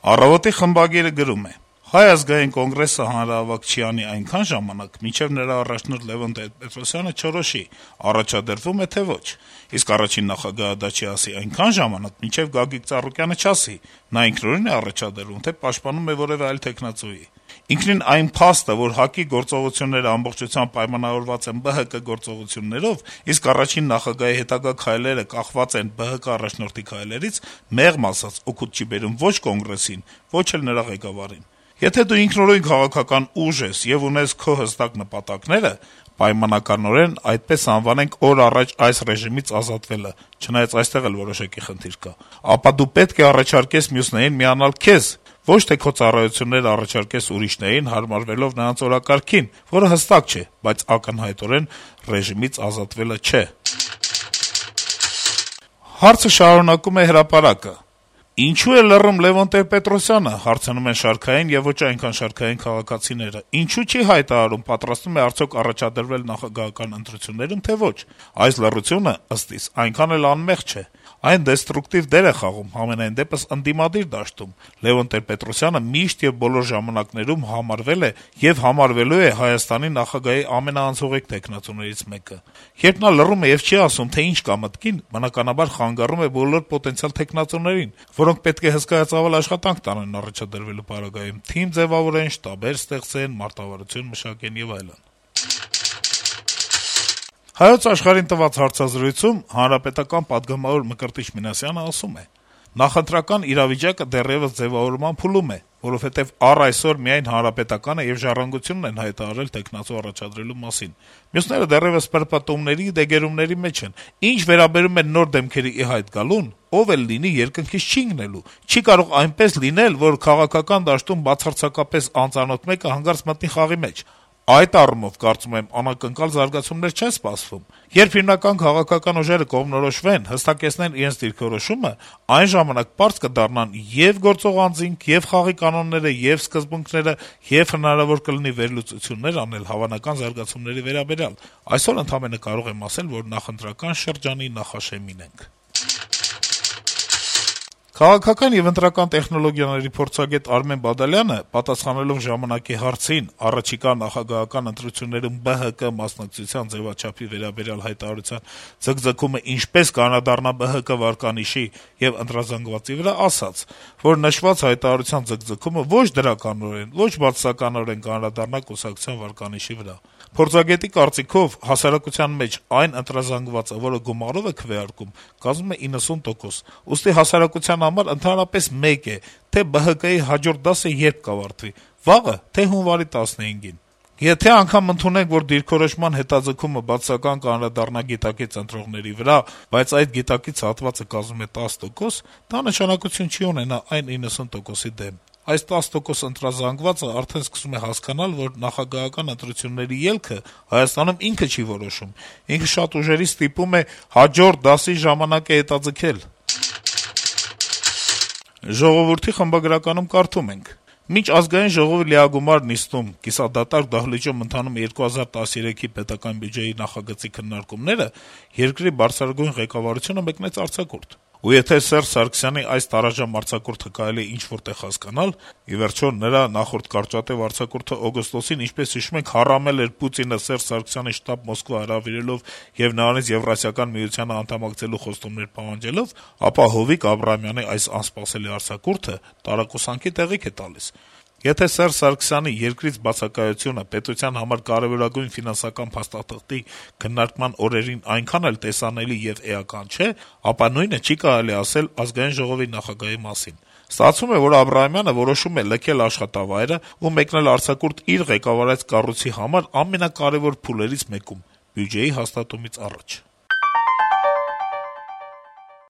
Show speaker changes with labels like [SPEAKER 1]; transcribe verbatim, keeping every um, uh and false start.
[SPEAKER 1] Առավոտի խմբագիրը գրում է. - «Հայ ազգային կոնգրեսը հանրահավաք չի անի այնքան ժամանակ, մինչեւ նրա առաջնորդ Լեւոն Տեր-Պետրոսյանը չորոշի՝ առաջադրվում է, թե ոչ: Իսկ առաջին նախագահը դա չի ասի այնքան ժամանակ, մինչեւ Գագիկ Ծառուկյանը չասի՝ նա ինքնուրույն է առաջադրվում, թե պաշտպանում է որեւէ այլ թեկնածուի: Ինքնին այն փաստը, որ ՀԱԿ-ի գործողությունները ամբողջությամբ պայմանավորված են Բ Հ Կ գործողություններով, իսկ առաջին նախագահի հետագա քայլերը կախված են Բ Հ Կ առաջնորդի քայլերից, մեղմ ասած, օգուտ չի բերում ոչ Կոնգրեսին, ոչ էլ նրա ղեկավարին: Եթե դու ինքնուրույն քաղաքական ուժ ես եւ ունես քո հստակ նպատակները, պայմանականորեն այդպես անվանենք օր առաջ այս ռեժիմից ազատվելը, չնայած այստեղ էլ որոշակի խնդիր կա, ապա դու պետք է առաջարկես մյուսներին միանալ քեզ, ոչ թե քո ծառայությունները առաջարկես ուրիշներին՝ հարմարվելով նրանց օրակարգին, որը հստակ չէ, բայց ակնհայտորեն ռեժիմից ազատվելը չէ»: Հարցը շարունակում է «Հրապարակ»-ը. - «Ինչո՞ւ է լռում Լեւոն Տեր-Պետրոսյանը, հարցնում են շարքային եւ ոչ այնքան շարքային քաղաքացիները, ինչո՞ւ չի հայտարարում՝ պատրաստվում է արդյոք առաջադրվել նախագահական ընտրություններում, թե ոչ: Այս լռությունը, ըստ իս, այնքան էլ անմեղ չէ: Այն դեստրուկտիվ դեր է խաղում, համենայնդեպս ընդդիմադիր դաշտում: Լեւոն Տեր-Պետրոսյանը միշտ եւ բոլոր ժամանակներում համարվել է եւ համարվելու է Հայաստանի նախագահի ամենաանցողիկ թեկնածուներից մեկը: Երբ նա լռում է եւ չի ասում, թե ինչ կա մտքին, բնականաբար խանգարում է բոլոր պոտենցիալ թեկնածուներին, որոնք պետք է հսկայածավալ աշխատանք տանեն առաջադրվելու պարագայում, թիմ ձեւավորեն, շտաբներ ստեղծեն, մարտավարություն մշակեն եւ այլն»: «Հայոց Աշխարհ»-ին տված հարցազրույցում հանրապետական պատգամավոր Մկրտիչ Մինասյանը ասում է. - «Նախընտրական իրավիճակը դեռեւս ձեւավորման փուլում է, որովհետեւ առ այսօր միայն Հանրապետականը եւ Ժառանգությունն են հայտարարել թեկնածու առաջադրելու մասին: Մյուսները դեռեւս պրպտումների, դեգերումների մեջ են: Ինչ վերաբերում է նոր դեմքերի ի հայտ գալուն, ով էլ լինի, երկնքից չի ընկնելու: Չի կարող այնպես լինել, որ քաղաքական դաշտում բացարձակապես անծանոթ մեկը հանկարծ մտնի խաղի մեջ: Այդ առումով, կարծում եմ, անակնկալ զարգացումներ չեն սպասվում: Երբ հիմնական քաղաքական ուժերը կողմնորոշվեն, հստակեցնեն իրենց դիրքորոշումը, այն ժամանակ պարզ կդառնան ե'ւ գործող անձինք, ե'ւ խաղի կանոնները, ե'ւ սկզբունքները, եւ հնարավոր կլինի վերլուծություններ անել հավանական զարգացումների վերաբերյալ: Այսօր ընդամենը կարող եմ ասել, որ նախընտրական շրջանի նախաշեմին ենք»: Քաղաքական եւ ընտրական տեխնոլոգիաների փորձագետ Արմեն Բադալյանը, պատասխանելով «Ժամանակ»-ի հարցին առաջիկա նախագահական ընտրություններում Բ Հ Կ մասնակցության ձեւաչափի վերաբերյալ հայտարարության ձգձգումը ինչպես կանրադառնա Բ Հ Կ վարկանիշի եւ ընտրազանգվածի վրա, ասաց, որ նշված հայտարարության ձգձգումը ոչ դրականորեն, ոչ բացասականորեն կանրադառնա կուսակցության վարկանիշի վրա: Փորձագետի կարծիքով, հասարակության մեջ այն ընտրազանգվածը, որը գումարով է քվեարկում, կազմում է իննսուն տոկոս, ուստի հասարակության համար ընդհանրապես մեկ է, թե Բ Հ Կ-ի հաջորդ դասը երբ կավարտվի՝ վաղը, թե հունվարի տասնհինգին: Եթե անգամ ընդունենք, որ դիրքորոշման հետաձգումը բացասական կանդրադառնա գիտակից ընտրողների վրա, բայց այդ գիտակից հատվածը կազմում է տասը տոկոս, դա նշանակություն չի ունենա այն իննսուն տոկոսի դեմ: Այս տասը տոկոս ընտրազանգվածը արդեն սկսում է հասկանալ, որ նախագահական ընտրությունների ելքը Հայաստանում ինքը չի որոշում: Ինքը շատ ուժերի ստիպում է հաջորդ դասի ժամանակ է հետաձգել»: «Ժողովուրդ»-ի խմբագրականում կարդում ենք. - «Մինչ Ազգային ժողովի լիագումար նիստում կիսադատարկ դահլիճում ընթանում է երկու հազար տասներեքի պետական բյուջեի նախագծի քննարկումները, երկրի բարձրագույն ղեկավարությունը մեկնեց արձակուրդ: Ու եթե Սերժ Սարգսյանի այս տարաժամ արձակուրդը կարելի է ինչ-որ տեղ հասկանալ, ի վերջո, նրա նախորդ կարճատեւ արձակուրդը օգոստոսին, ինչպես հիշում ենք, հառամել էր Պուտինը Սերժ Սարգսյանի շտաբ Մոսկվա հրավիրելով եւ նրանից Եվրասիական միությանը անդամակցելու խոստումներ պահանջելով, ապա Հովիկ Աբրահամյանի այս անսպասելի արձակուրդը տարակուսանքի տեղիք է տալիս: Եթե Սերժ Սարգսյանի երկրից բացակայությունը պետության համար կարեւորագույն ֆինանսական փաստաթղթի քննարկման օրերին այնքան էլ տեսանելի եւ էական չէ, ապա նույնը չի կարելի ասել Ազգային ժողովի նախագահի մասին: Ստացվում է, որ Աբրահամյանը որոշում է լքել աշխատավայրը ու մեկնել արձակուրդ իր ղեկավարած կառույցի համար ամենակարեւոր փուլերից մեկում՝ բյուջեի հաստատումից առաջ»: